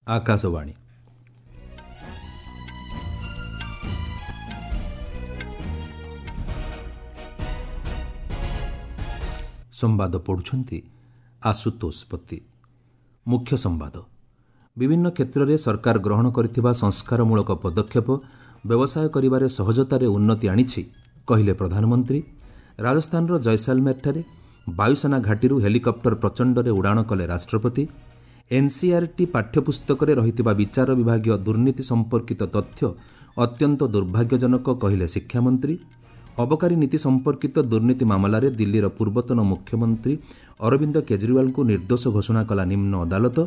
ଆକାଶବାଣୀ। ସମ୍ବାଦ ପଢ଼ୁଛନ୍ତି ଆଶୁତୋଷ ପତି। ମୁଖ୍ୟ ସମ୍ବାଦ। ବିଭିନ୍ନ କ୍ଷେତ୍ରରେ ସରକାର ଗ୍ରହଣ କରିଥିବା ସଂସ୍କାରମୂଳକ ପଦକ୍ଷେପ ବ୍ୟବସାୟ କରିବାରେ ସହଜତାରେ ଉନ୍ନତି ଆଣିଛି, କହିଲେ ପ୍ରଧାନମନ୍ତ୍ରୀ। ରାଜସ୍ଥାନର ଜୟସାଲମେରଠାରେ ବାୟୁସେନା ଘାଟିରୁ ହେଲିକପ୍ଟର ପ୍ରଚଣ୍ଡରେ ଉଡ଼ାଣ କଲେ ରାଷ୍ଟ୍ରପତି। ଏନ୍ସିଇଆର୍ଟି ପାଠ୍ୟପୁସ୍ତକରେ ରହିଥିବା ବିଚାର ବିଭାଗୀୟ ଦୁର୍ନୀତି ସମ୍ପର୍କିତ ତଥ୍ୟ ଅତ୍ୟନ୍ତ ଦୁର୍ଭାଗ୍ୟଜନକ, କହିଲେ ଶିକ୍ଷାମନ୍ତ୍ରୀ। ଅବକାରୀ ନୀତି ସମ୍ପର୍କିତ ଦୁର୍ନୀତି ମାମଲାରେ ଦିଲ୍ଲୀର ପୂର୍ବତନ ମୁଖ୍ୟମନ୍ତ୍ରୀ ଅରବିନ୍ଦ କେଜରିୱାଲଙ୍କୁ ନିର୍ଦ୍ଦୋଷ ଘୋଷଣା କଲା ନିମ୍ନ ଅଦାଲତ।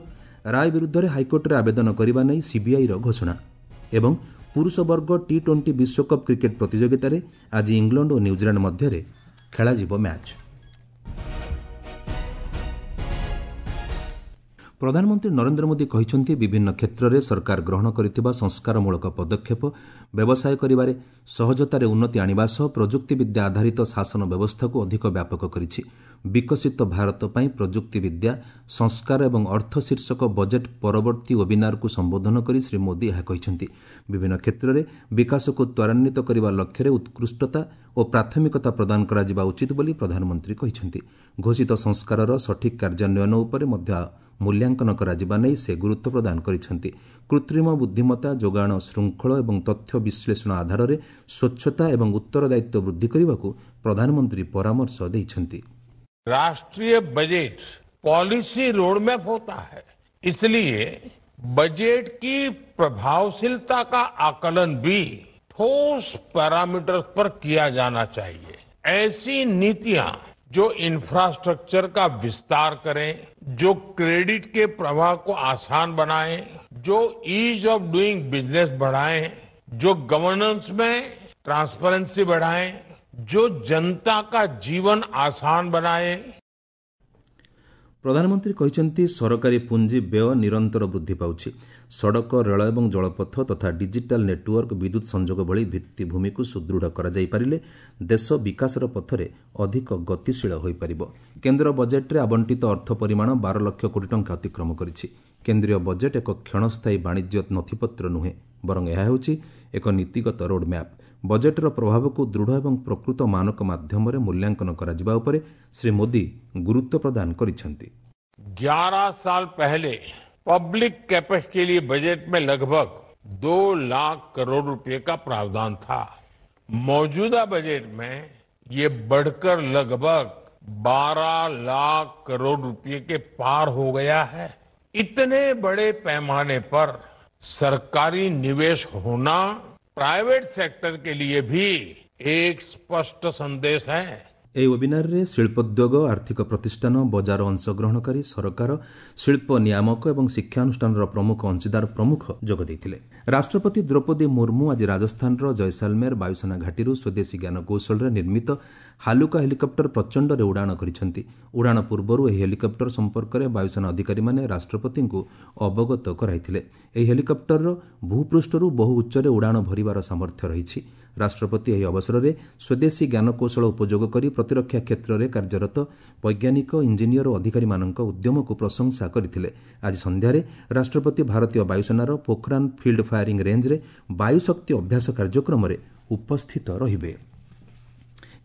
ରାୟ ବିରୁଦ୍ଧରେ ହାଇକୋର୍ଟରେ ଆବେଦନ କରିବା ନେଇ ସିବିଆଇର ଘୋଷଣା। ଏବଂ ପୁରୁଷ ବର୍ଗ ଟି 20 ବିଶ୍ୱକପ୍ କ୍ରିକେଟ୍ ପ୍ରତିଯୋଗିତାରେ ଆଜି ଇଂଲଣ୍ଡ ଓ ନ୍ୟୁଜିଲାଣ୍ଡ ମଧ୍ୟରେ ଖେଳାଯିବ ମ୍ୟାଚ୍। ପ୍ରଧାନମନ୍ତ୍ରୀ ନରେନ୍ଦ୍ର ମୋଦି କହିଛନ୍ତି, ବିଭିନ୍ନ କ୍ଷେତ୍ରରେ ସରକାର ଗ୍ରହଣ କରିଥିବା ସଂସ୍କାରମୂଳକ ପଦକ୍ଷେପ ବ୍ୟବସାୟ କରିବାରେ ସହଜତାରେ ଉନ୍ନତି ଆଣିବା ସହ ପ୍ରଯୁକ୍ତିବିଦ୍ୟା ଆଧାରିତ ଶାସନ ବ୍ୟବସ୍ଥାକୁ ଅଧିକ ବ୍ୟାପକ କରିଛି। ବିକଶିତ ଭାରତ ପାଇଁ ପ୍ରଯୁକ୍ତିବିଦ୍ୟା, ସଂସ୍କାର ଏବଂ ଅର୍ଥ ଶୀର୍ଷକ ବଜେଟ୍ ପରବର୍ତ୍ତୀ ୱେବିନାରକୁ ସମ୍ବୋଧନ କରି ଶ୍ରୀ ମୋଦି ଏହା କହିଛନ୍ତି। ବିଭିନ୍ନ କ୍ଷେତ୍ରରେ ବିକାଶକୁ ତ୍ୱରାନ୍ୱିତ କରିବା ଲକ୍ଷ୍ୟରେ ଉତ୍କୃଷ୍ଟତା ଓ ପ୍ରାଥମିକତା ପ୍ରଦାନ କରାଯିବା ଉଚିତ ବୋଲି ପ୍ରଧାନମନ୍ତ୍ରୀ କହିଛନ୍ତି। ଘୋଷିତ ସଂସ୍କାରର ସଠିକ୍ କାର୍ଯ୍ୟାନ୍ୱୟନ ଉପରେ ମଧ୍ୟ ମୂଲ୍ୟାଙ୍କନ କରାଯିବା ନେଇ ସେ ଗୁରୁତ୍ୱ ପ୍ରଦାନ କରିଛନ୍ତି। କୃତ୍ରିମ ବୁଦ୍ଧିମତ୍ତା, ଯୋଗାଣ ଶୃଙ୍ଖଳ ଏବଂ ତଥ୍ୟ ବିଶ୍ଳେଷଣ ଆଧାରରେ ସ୍ୱଚ୍ଛତା ଏବଂ ଉତ୍ତରଦାୟିତ୍ୱ ବୃଦ୍ଧି କରିବାକୁ ପ୍ରଧାନମନ୍ତ୍ରୀ ପରାମର୍ଶ ଦେଇଛନ୍ତି। राष्ट्रीय बजट पॉलिसी रोडमैप होता है, इसलिए बजट की प्रभावशीलता का आकलन भी ठोस पैरामीटर्स पर किया जाना चाहिए। ऐसी नीतियां जो इंफ्रास्ट्रक्चर का विस्तार करें, जो क्रेडिट के प्रवाह को आसान बनाएं, जो ईज ऑफ डूइंग बिजनेस बढ़ाएं, जो गवर्नेंस में ट्रांसपेरेंसी बढ़ाएं, जो जनता का जीवन आसान बनाए। ପ୍ରଧାନମନ୍ତ୍ରୀ କହିଛନ୍ତି, ସରକାରୀ ପୁଞ୍ଜି ବ୍ୟୟ ନିରନ୍ତର ବୃଦ୍ଧି ପାଉଛି। ସଡ଼କ, ରେଳ ଏବଂ ଜଳପଥ ତଥା ଡିଜିଟାଲ ନେଟୱାର୍କ, ବିଦ୍ୟୁତ୍ ସଂଯୋଗ ଭଳି ଭିତ୍ତିଭୂମିକୁ ସୁଦୃଢ଼ କରାଯାଇପାରିଲେ ଦେଶ ବିକାଶର ପଥରେ ଅଧିକ ଗତିଶୀଳ ହୋଇପାରିବ। କେନ୍ଦ୍ର ବଜେଟ୍ରେ ଆବଣ୍ଟିତ ଅର୍ଥ ପରିମାଣ 12 ଲକ୍ଷ କୋଟି ଟଙ୍କା ଅତିକ୍ରମ କରିଛି। କେନ୍ଦ୍ରୀୟ ବଜେଟ୍ ଏକ କ୍ଷଣସ୍ଥାୟୀ ବାଣିଜ୍ୟ ନଥିପତ୍ର ନୁହେଁ, ବରଂ ଏହା ହେଉଛି ଏକ ନୀତିଗତ ରୋଡ୍ମ୍ୟାପ୍। ବଜେଟ୍ର ପ୍ରଭାବକୁ ଦୃଢ଼ ଏବଂ ପ୍ରକୃତ ମାନକ ମାଧ୍ୟମରେ ମୂଲ୍ୟାଙ୍କନ କରାଯିବା ଉପରେ ଶ୍ରୀ ମୋଦି ଗୁରୁତ୍ୱ ପ୍ରଦାନ କରିଛନ୍ତି। 11 साल पहले पब्लिक कैपेक्स के लिए बजट में लगभग 2 लाख करोड़ रुपए का प्रावधान था। मौजूदा बजट में ये बढ़कर लगभग 12 लाख करोड़ रुपए के पार हो गया है। इतने बड़े पैमाने पर सरकारी निवेश होना प्राइवेट सेक्टर के लिए भी एक स्पष्ट संदेश है। ଏହି ୱେବିନାରରେ ଶିଳ୍ପୋଦ୍ୟୋଗ, ଆର୍ଥିକ ପ୍ରତିଷ୍ଠାନ, ବଜାର ଅଂଶଗ୍ରହଣକାରୀ, ସରକାର, ଶିଳ୍ପ ନିୟାମକ ଏବଂ ଶିକ୍ଷାନୁଷ୍ଠାନର ପ୍ରମୁଖ ଅଂଶୀଦାର ପ୍ରମୁଖ ଯୋଗ ଦେଇଥିଲେ। ରାଷ୍ଟ୍ରପତି ଦ୍ରୌପଦୀ ମୁର୍ମୁ ଆଜି ରାଜସ୍ଥାନର ଜୟସାଲମେର ବାୟୁସେନା ଘାଟିରୁ ସ୍ୱଦେଶୀ ଜ୍ଞାନକୌଶଳରେ ନିର୍ମିତ ହାଲୁକା ହେଲିକପ୍ଟର ପ୍ରଚଣ୍ଡରେ ଉଡ଼ାଣ କରିଛନ୍ତି। ଉଡ଼ାଣ ପୂର୍ବରୁ ଏହି ହେଲିକପ୍ଟର ସମ୍ପର୍କରେ ବାୟୁସେନା ଅଧିକାରୀମାନେ ରାଷ୍ଟ୍ରପତିଙ୍କୁ ଅବଗତ କରାଇଥିଲେ। ଏହି ହେଲିକପ୍ଟରର ଭୂପୃଷ୍ଠରୁ ବହୁ ଉଚ୍ଚରେ ଉଡ଼ାଣ ଭରିବାର ସାମର୍ଥ୍ୟ ରହିଛି। ରାଷ୍ଟ୍ରପତି ଏହି ଅବସରରେ ସ୍ୱଦେଶୀ ଜ୍ଞାନକୌଶଳ ଉପଯୋଗ କରି ପ୍ରତିରକ୍ଷା କ୍ଷେତ୍ରରେ କାର୍ଯ୍ୟରତ ବୈଜ୍ଞାନିକ, ଇଞ୍ଜିନିୟର ଓ ଅଧିକାରୀମାନଙ୍କ ଉଦ୍ୟମକୁ ପ୍ରଶଂସା କରିଥିଲେ। ଆଜି ସନ୍ଧ୍ୟାରେ ରାଷ୍ଟ୍ରପତି ଭାରତୀୟ ବାୟୁସେନାର ପୋଖରାନ ଫିଲ୍ଡ ଫାୟାରିଂ ରେଞ୍ଜରେ ବାୟୁଶକ୍ତି ଅଭ୍ୟାସ କାର୍ଯ୍ୟକ୍ରମରେ ଉପସ୍ଥିତ ରହିବେ।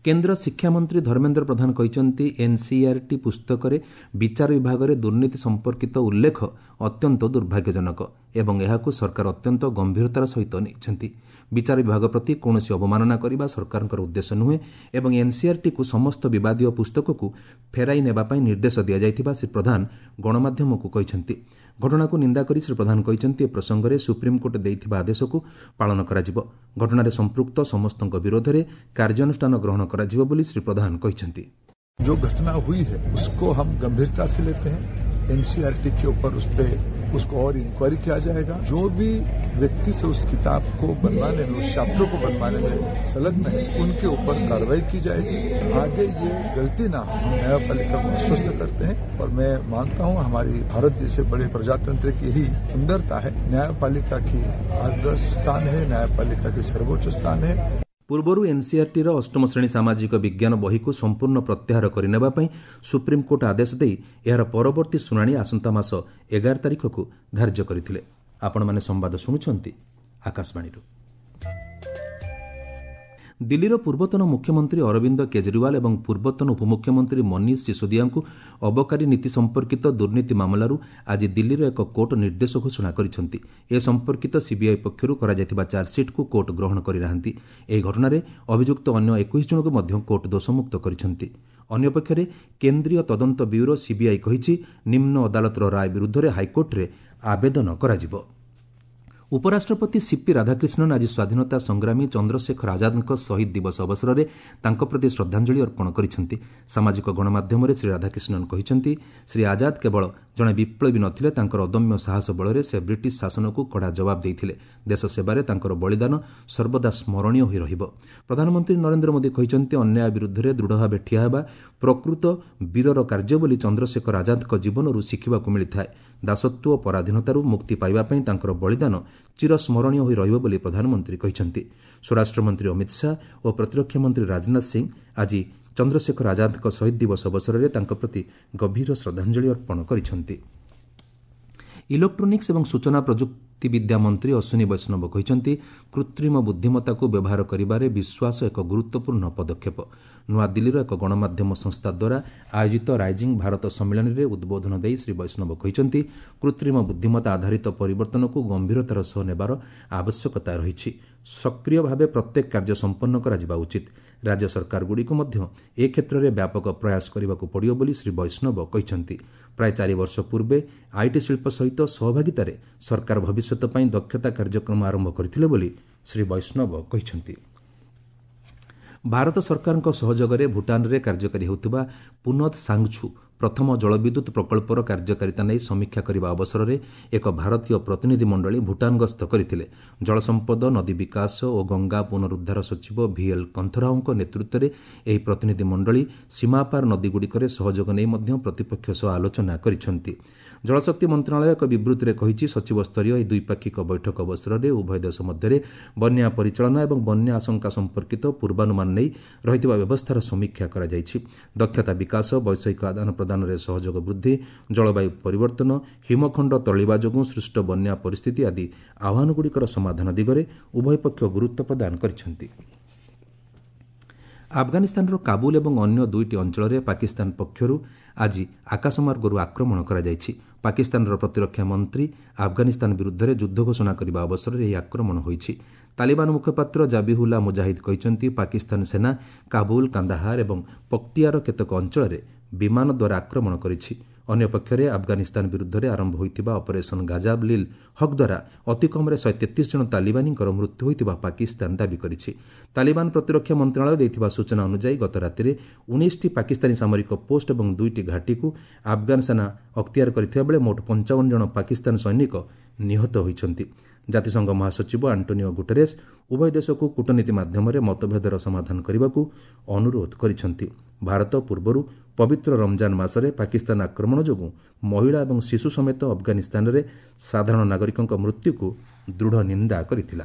କେନ୍ଦ୍ର ଶିକ୍ଷାମନ୍ତ୍ରୀ ଧର୍ମେନ୍ଦ୍ର ପ୍ରଧାନ କହିଛନ୍ତି, ଏନ୍ସିଇଆର୍ଟି ପୁସ୍ତକରେ ବିଚାର ବିଭାଗରେ ଦୁର୍ନୀତି ସମ୍ପର୍କିତ ଉଲ୍ଲେଖ ଅତ୍ୟନ୍ତ ଦୁର୍ଭାଗ୍ୟଜନକ ଏବଂ ଏହାକୁ ସରକାର ଅତ୍ୟନ୍ତ ଗମ୍ଭୀରତାର ସହିତ ନେଇଛନ୍ତି। ବିଚାର ବିଭାଗ ପ୍ରତି କୌଣସି ଅବମାନନା କରିବା ସରକାରଙ୍କର ଉଦ୍ଦେଶ୍ୟ ନୁହେଁ ଏବଂ ଏନ୍ସିଇଆର୍ଟିକୁ ସମସ୍ତ ବିବାଦୀୟ ପୁସ୍ତକକୁ ଫେରାଇ ନେବା ପାଇଁ ନିର୍ଦ୍ଦେଶ ଦିଆଯାଇଥିବା ଶ୍ରୀ ପ୍ରଧାନ ଗଣମାଧ୍ୟମକୁ କହିଛନ୍ତି। ଘଟଣାକୁ ନିନ୍ଦା କରି ଶ୍ରୀ ପ୍ରଧାନ କହିଛନ୍ତି, ଏ ପ୍ରସଙ୍ଗରେ ସୁପ୍ରିମକୋର୍ଟ ଦେଇଥିବା ଆଦେଶକୁ ପାଳନ କରାଯିବ। ଘଟଣାରେ ସମ୍ପୃକ୍ତ ସମସ୍ତଙ୍କ ବିରୋଧରେ କାର୍ଯ୍ୟାନୁଷ୍ଠାନ ଗ୍ରହଣ କରାଯିବ ବୋଲି ଶ୍ରୀ ପ୍ରଧାନ କହିଛନ୍ତି। जो घटना हुई है उसको हम गंभीरता से लेते हैं। एनसीईआरटी के ऊपर उस पे उसको और इंक्वायरी किया जाएगा। जो भी व्यक्ति से उस किताब को बनवाने में, उस चैप्टर को बनवाने में संलग्न है, उनके ऊपर कार्रवाई की जाएगी। आगे ये गलती ना हो, हम न्यायपालिका को आश्वस्त करते हैं और मैं मानता हूं हमारी भारत जैसे बड़े प्रजातंत्र की ही सुंदरता है। न्यायपालिका की आदर्श स्थान है, न्यायपालिका की सर्वोच्च स्थान है। ପୂର୍ବରୁ ଏନ୍ସିଆର୍ଟିର ଅଷ୍ଟମ ଶ୍ରେଣୀ ସାମାଜିକ ବିଜ୍ଞାନ ବହିକୁ ସମ୍ପୂର୍ଣ୍ଣ ପ୍ରତ୍ୟାହାର କରିନେବା ପାଇଁ ସୁପ୍ରିମକୋର୍ଟ ଆଦେଶ ଦେଇ ଏହାର ପରବର୍ତ୍ତୀ ଶୁଣାଣି ଆସନ୍ତା ମାସ 11 ତାରିଖକୁ ଧାର୍ଯ୍ୟ କରିଥିଲେ। ଆପଣମାନେ ସମ୍ବାଦ ଶୁଣୁଛନ୍ତି ଆକାଶବାଣୀରୁ। ଦିଲ୍ଲୀର ପୂର୍ବତନ ମୁଖ୍ୟମନ୍ତ୍ରୀ ଅରବିନ୍ଦ କେଜରିୱାଲ ଏବଂ ପୂର୍ବତନ ଉପମୁଖ୍ୟମନ୍ତ୍ରୀ ମନୀଷ ସିସୋଦିଆଙ୍କୁ ଅବକାରୀ ନୀତି ସମ୍ପର୍କିତ ଦୁର୍ନୀତି ମାମଲାରୁ ଆଜି ଦିଲ୍ଲୀର ଏକ କୋର୍ଟ ନିର୍ଦ୍ଦୋଷ ଘୋଷଣା କରିଛନ୍ତି। ଏ ସମ୍ପର୍କିତ ସିବିଆଇ ପକ୍ଷରୁ କରାଯାଇଥିବା ଚାର୍ଜସିଟ୍କୁ କୋର୍ଟ ଗ୍ରହଣ କରିନାହାନ୍ତି। ଏହି ଘଟଣାରେ ଅଭିଯୁକ୍ତ ଅନ୍ୟ 21 ଜଣଙ୍କୁ ମଧ୍ୟ କୋର୍ଟ ଦୋଷମୁକ୍ତ କରିଛନ୍ତି। ଅନ୍ୟପକ୍ଷରେ କେନ୍ଦ୍ରୀୟ ତଦନ୍ତ ବ୍ୟୁରୋ ସିବିଆଇ କହିଛି, ନିମ୍ନ ଅଦାଲତର ରାୟ ବିରୁଦ୍ଧରେ ହାଇକୋର୍ଟରେ ଆବେଦନ କରାଯିବ। ଉପରାଷ୍ଟ୍ରପତି ସିପି ରାଧାକ୍ରିଷ୍ଣନ୍ ଆଜି ସ୍ୱାଧୀନତା ସଂଗ୍ରାମୀ ଚନ୍ଦ୍ରଶେଖର ଆଜାଦଙ୍କ ଶହୀଦ ଦିବସ ଅବସରରେ ତାଙ୍କ ପ୍ରତି ଶ୍ରଦ୍ଧାଞ୍ଜଳି ଅର୍ପଣ କରିଛନ୍ତି। ସାମାଜିକ ଗଣମାଧ୍ୟମରେ ଶ୍ରୀ ରାଧାକ୍ରିଷ୍ଣନ୍ କହିଛନ୍ତି, ଶ୍ରୀ ଆଜାଦ କେବଳ ଜଣେ ବିପ୍ଳବୀ ନଥିଲେ, ତାଙ୍କର ଅଦମ୍ୟ ସାହସ ବଳରେ ସେ ବ୍ରିଟିଶ ଶାସନକୁ କଡ଼ା ଜବାବ ଦେଇଥିଲେ। ଦେଶ ସେବାରେ ତାଙ୍କର ବଳିଦାନ ସର୍ବଦା ସ୍ମରଣୀୟ ହୋଇ ରହିବ। ପ୍ରଧାନମନ୍ତ୍ରୀ ନରେନ୍ଦ୍ର ମୋଦି କହିଛନ୍ତି, ଅନ୍ୟାୟ ବିରୁଦ୍ଧରେ ଦୃଢ଼ ଭାବେ ଠିଆ ହେବା ପ୍ରକୃତ ବୀରର କାର୍ଯ୍ୟ ବୋଲି ଚନ୍ଦ୍ରଶେଖର ଆଜାଦଙ୍କ ଜୀବନରୁ ଶିଖିବାକୁ ମିଳିଥାଏ। ଦାସତ୍ୱ ଓ ପରାଧୀନତାରୁ ମୁକ୍ତି ପାଇବା ପାଇଁ ତାଙ୍କର ବଳିଦାନ ଚିରସ୍ମରଣୀୟ ହୋଇ ରହିବ ବୋଲି ପ୍ରଧାନମନ୍ତ୍ରୀ କହିଛନ୍ତି। ସ୍ୱରାଷ୍ଟ୍ରମନ୍ତ୍ରୀ ଅମିତ ଶାହା ଓ ପ୍ରତିରକ୍ଷା ମନ୍ତ୍ରୀ ରାଜନାଥ ସିଂ ଆଜି ଚନ୍ଦ୍ରଶେଖର ଆଜାଦଙ୍କ ଶହୀଦ ଦିବସ ଅବସରରେ ତାଙ୍କ ପ୍ରତି ଗଭୀର ଶ୍ରଦ୍ଧାଞ୍ଜଳି ଅର୍ପଣ କରିଛନ୍ତି। ଇଲେକ୍ଟ୍ରୋନିକ୍ସ ଏବଂ ସୂଚନା ପ୍ରଯୁକ୍ତିବିଦ୍ୟା ମନ୍ତ୍ରୀ ଅଶ୍ୱିନୀ ବୈଷ୍ଣବ କହିଛନ୍ତି, କୃତ୍ରିମ ବୁଦ୍ଧିମତ୍ତାକୁ ବ୍ୟବହାର କରିବାରେ ବିଶ୍ୱାସ ଏକ ଗୁରୁତ୍ୱପୂର୍ଣ୍ଣ ପଦକ୍ଷେପ। ନୂଆଦିଲ୍ଲୀର ଏକ ଗଣମାଧ୍ୟମ ସଂସ୍ଥା ଦ୍ୱାରା ଆୟୋଜିତ ରାଇଜିଂ ଭାରତ ସମ୍ମିଳନୀରେ ଉଦ୍ବୋଧନ ଦେଇ ଶ୍ରୀ ବୈଷ୍ଣବ କହିଛନ୍ତି, କୃତ୍ରିମ ବୁଦ୍ଧିମତ୍ତା ଆଧାରିତ ପରିବର୍ତ୍ତନକୁ ଗମ୍ଭୀରତାର ସହ ନେବାର ଆବଶ୍ୟକତା ରହିଛି। ସକ୍ରିୟ ଭାବେ ପ୍ରତ୍ୟେକ କାର୍ଯ୍ୟ ସମ୍ପନ୍ନ କରାଯିବା ଉଚିତ। ରାଜ୍ୟ ସରକାରଗୁଡ଼ିକୁ ମଧ୍ୟ ଏ କ୍ଷେତ୍ରରେ ବ୍ୟାପକ ପ୍ରୟାସ କରିବାକୁ ପଡ଼ିବ ବୋଲି ଶ୍ରୀ ବୈଷ୍ଣବ କହିଛନ୍ତି। ପ୍ରାୟ 4 ବର୍ଷ ପୂର୍ବେ IT ଶିଳ୍ପ ସହିତ ସହଭାଗିତାରେ ସରକାର ଭବିଷ୍ୟତ ପାଇଁ ଦକ୍ଷତା କାର୍ଯ୍ୟକ୍ରମ ଆରମ୍ଭ କରିଥିଲେ ବୋଲି ଶ୍ରୀ ବୈଷ୍ଣବ କହିଛନ୍ତି। ଭାରତ ସରକାରଙ୍କ ସହଯୋଗରେ ଭୁଟାନରେ କାର୍ଯ୍ୟକାରୀ ହେଉଥିବା ପୁନଦ୍ ସାଙ୍ଗଛୁ ପ୍ରଥମ ଜଳବିଦ୍ୟୁତ୍ ପ୍ରକଳ୍ପର କାର୍ଯ୍ୟକାରିତା ନେଇ ସମୀକ୍ଷା କରିବା ଅବସରରେ ଏକ ଭାରତୀୟ ପ୍ରତିନିଧି ମଣ୍ଡଳୀ ଭୁଟାନ ଗସ୍ତ କରିଥିଲେ। ଜଳସମ୍ପଦ, ନଦୀ ବିକାଶ ଓ ଗଙ୍ଗା ପୁନରୁଦ୍ଧାର ସଚିବ ଭିଏଲ୍ କନ୍ଥରାଓଙ୍କ ନେତୃତ୍ୱରେ ଏହି ପ୍ରତିନିଧି ମଣ୍ଡଳୀ ସୀମାପାର ନଦୀଗୁଡ଼ିକରେ ସହଯୋଗ ନେଇ ମଧ୍ୟ ପ୍ରତିପକ୍ଷ ସହ ଆଲୋଚନା କରିଛନ୍ତି। ଜଳଶକ୍ତି ମନ୍ତ୍ରଣାଳୟ ଏକ ବିବୃତ୍ତିରେ କହିଛି, ସଚିବସ୍ତରୀୟ ଏହି ଦ୍ୱିପାକ୍ଷିକ ବୈଠକ ଅବସରରେ ଉଭୟ ଦେଶ ମଧ୍ୟରେ ବନ୍ୟା ପରିଚାଳନା ଏବଂ ବନ୍ୟା ଆଶଙ୍କା ସମ୍ପର୍କିତ ପୂର୍ବାନୁମାନ ନେଇ ରହିଥିବା ବ୍ୟବସ୍ଥାର ସମୀକ୍ଷା କରାଯାଇଛି। ଦକ୍ଷତା ବିକାଶ, ବୈଷୟିକ ଆଦାନ ପ୍ରଦାନରେ ସହଯୋଗ ବୃଦ୍ଧି, ଜଳବାୟୁ ପରିବର୍ତ୍ତନ, ହିମଖଣ୍ଡ ତରଳିବା ଯୋଗୁଁ ସୃଷ୍ଟ ବନ୍ୟା ପରିସ୍ଥିତି ଆଦି ଆହ୍ୱାନଗୁଡ଼ିକର ସମାଧାନ ଦିଗରେ ଉଭୟ ପକ୍ଷ ଗୁରୁତ୍ୱ ପ୍ରଦାନ କରିଛନ୍ତି। ଆଫଗାନିସ୍ତାନର କାବୁଲ ଏବଂ ଅନ୍ୟ 2ଟି ଅଞ୍ଚଳରେ ପାକିସ୍ତାନ ପକ୍ଷରୁ ଆଜି ଆକାଶମାର୍ଗରୁ ଆକ୍ରମଣ କରାଯାଇଛି। ପାକିସ୍ତାନର ପ୍ରତିରକ୍ଷା ମନ୍ତ୍ରୀ ଆଫଗାନିସ୍ତାନ ବିରୁଦ୍ଧରେ ଯୁଦ୍ଧ ଘୋଷଣା କରିବା ଅବସରରେ ଏହି ଆକ୍ରମଣ ହୋଇଛି। ତାଲିବାନ ମୁଖପାତ୍ର ଜାବିହୁଲ୍ଲା ମୁଜାହିଦ କହିଛନ୍ତି, ପାକିସ୍ତାନ ସେନା କାବୁଲ, କାନ୍ଦାହାର ଏବଂ ପକ୍ଟିଆର କେତେକ ଅଞ୍ଚଳରେ ବିମାନ ଦ୍ୱାରା ଆକ୍ରମଣ କରିଛି। ଅନ୍ୟପକ୍ଷରେ ଆଫଗାନିସ୍ତାନ ବିରୁଦ୍ଧରେ ଆରମ୍ଭ ହୋଇଥିବା ଅପରେସନ୍ ଗାଜାବ ଲିଲ୍ ହକ୍ ଦ୍ୱାରା ଅତିକମ୍ରେ 133 ଜଣ ତାଲିବାନୀଙ୍କର ମୃତ୍ୟୁ ହୋଇଥିବା ପାକିସ୍ତାନ ଦାବି କରିଛି। ତାଲିବାନ ପ୍ରତିରକ୍ଷା ମନ୍ତ୍ରଣାଳୟ ଦେଇଥିବା ସୂଚନା ଅନୁଯାୟୀ ଗତ ରାତିରେ 19ଟି ପାକିସ୍ତାନୀ ସାମରିକ ପୋଷ୍ଟ ଏବଂ 2ଟି ଘାଟିକୁ ଆଫଗାନ ସେନା ଅକ୍ତିଆର କରିଥିବା ବେଳେ ମୋଟ 55 ଜଣ ପାକିସ୍ତାନ ସୈନିକ ନିହତ ହୋଇଛନ୍ତି। ଜାତିସଂଘ ମହାସଚିବ ଆଣ୍ଟୋନିଓ ଗୁଟେରେସ୍ ଉଭୟ ଦେଶକୁ କୂଟନୀତି ମାଧ୍ୟମରେ ମତଭେଦର ସମାଧାନ କରିବାକୁ ଅନୁରୋଧ କରିଛନ୍ତି। ଭାରତ ପୂର୍ବରୁ ପବିତ୍ର ରମଜାନ ମାସରେ ପାକିସ୍ତାନ ଆକ୍ରମଣ ଯୋଗୁଁ ମହିଳା ଏବଂ ଶିଶୁ ସମେତ ଆଫଗାନିସ୍ତାନରେ ସାଧାରଣ ନାଗରିକଙ୍କ ମୃତ୍ୟୁକୁ ଦୃଢ଼ ନିନ୍ଦା କରିଥିଲା।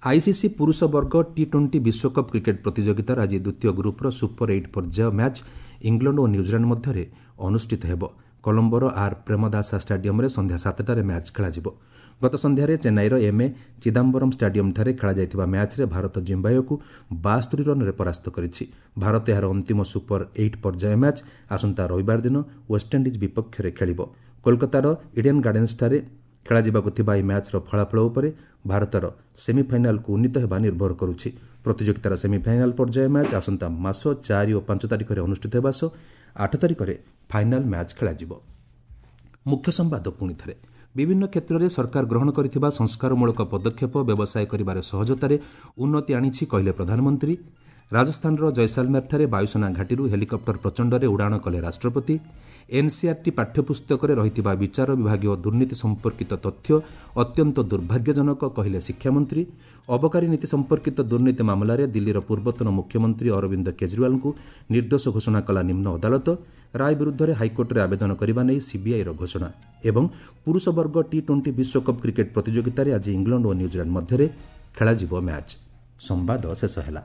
ଆଇସିସି ପୁରୁଷ ବର୍ଗ ଟି-20 ବିଶ୍ୱକପ୍ କ୍ରିକେଟ୍ ପ୍ରତିଯୋଗିତାର ଆଜି ଦ୍ୱିତୀୟ ଗ୍ରୁପ୍ର ସୁପର 8 ପର୍ଯ୍ୟାୟ ମ୍ୟାଚ୍ ଇଂଲଣ୍ଡ ଓ ନ୍ୟୁଜିଲାଣ୍ଡ ମଧ୍ୟରେ ଅନୁଷ୍ଠିତ ହେବ। କଲମ୍ବୋର ଆର୍ ପ୍ରେମଦାସା ଷ୍ଟାଡିୟମ୍ରେ ସନ୍ଧ୍ୟା 7ଟାରେ ମ୍ୟାଚ୍ ଖେଳାଯିବ। ଗତ ସନ୍ଧ୍ୟାରେ ଚେନ୍ନାଇର ଏମ୍ଏ ଚିଦାମ୍ବରମ୍ ଷ୍ଟାଡିୟମ୍ଠାରେ ଖେଳାଯାଇଥିବା ମ୍ୟାଚ୍ରେ ଭାରତ ଜିମ୍ବାୱେକୁ 72 ରନ୍ରେ ପରାସ୍ତ କରିଛି। ଭାରତ ଏହାର ଅନ୍ତିମ ସୁପର 8 ପର୍ଯ୍ୟାୟ ମ୍ୟାଚ୍ ଆସନ୍ତା ରବିବାର ଦିନ ୱେଷ୍ଟଇଣ୍ଡିଜ୍ ବିପକ୍ଷରେ ଖେଳିବ। କୋଲକାତାର ଇଡେନ୍ ଗାର୍ଡେନ୍ସଠାରେ ଖେଳାଯିବାକୁ ଥିବା ଏହି ମ୍ୟାଚ୍ର ଫଳାଫଳ ଉପରେ ଭାରତର ସେମିଫାଇନାଲକୁ ଉନ୍ନୀତ ହେବା ନିର୍ଭର କରୁଛି। ପ୍ରତିଯୋଗିତାର ସେମିଫାଇନାଲ ପର୍ଯ୍ୟାୟ ମ୍ୟାଚ୍ ଆସନ୍ତା ମାସ 4 ଓ 5 ତାରିଖରେ ଅନୁଷ୍ଠିତ ହେବା ସହ 8 ତାରିଖରେ ଫାଇନାଲ ମ୍ୟାଚ୍ ଖେଳାଯିବ। ମୁଖ୍ୟ ସମ୍ବାଦ ପୁଣି ଥରେ। ବିଭିନ୍ନ କ୍ଷେତ୍ରରେ ସରକାର ଗ୍ରହଣ କରିଥିବା ସଂସ୍କାରମୂଳକ ପଦକ୍ଷେପ ବ୍ୟବସାୟ କରିବାରେ ସହଜତାରେ ଉନ୍ନତି ଆଣିଛି, କହିଲେ ପ୍ରଧାନମନ୍ତ୍ରୀ। ରାଜସ୍ଥାନର ଜୟସାଲମେରଠାରେ ବାୟୁସେନା ଘାଟିରୁ ହେଲିକପ୍ଟର ପ୍ରଚଣ୍ଡରେ ଉଡ଼ାଣ କଲେ ରାଷ୍ଟ୍ରପତି। ଏନ୍ସିଆର୍ଟି ପାଠ୍ୟପୁସ୍ତକରେ ରହିଥିବା ବିଚାର ବିଭାଗୀୟ ଦୁର୍ନୀତି ସମ୍ପର୍କିତ ତଥ୍ୟ ଅତ୍ୟନ୍ତ ଦୁର୍ଭାଗ୍ୟଜନକ, କହିଲେ ଶିକ୍ଷାମନ୍ତ୍ରୀ। ଅବକାରୀ ନୀତି ସମ୍ପର୍କିତ ଦୁର୍ନୀତି ମାମଲାରେ ଦିଲ୍ଲୀର ପୂର୍ବତନ ମୁଖ୍ୟମନ୍ତ୍ରୀ ଅରବିନ୍ଦ କେଜରିୱାଲଙ୍କୁ ନିର୍ଦ୍ଦୋଷ ଘୋଷଣା କଲା ନିମ୍ନ ଅଦାଲତ। ରାୟ ବିରୁଦ୍ଧରେ ହାଇକୋର୍ଟରେ ଆବେଦନ କରିବା ନେଇ ସିବିଆଇର ଘୋଷଣା। ଏବଂ ପୁରୁଷ ବର୍ଗ ଟି-20 ବିଶ୍ୱକପ୍ କ୍ରିକେଟ୍ ପ୍ରତିଯୋଗିତାରେ ଆଜି ଇଂଲଣ୍ଡ ଓ ନ୍ୟୁଜିଲାଣ୍ଡ ମଧ୍ୟରେ ଖେଳାଯିବ ମ୍ୟାଚ୍। ସମ୍ବାଦ ଶେଷ ହେଲା।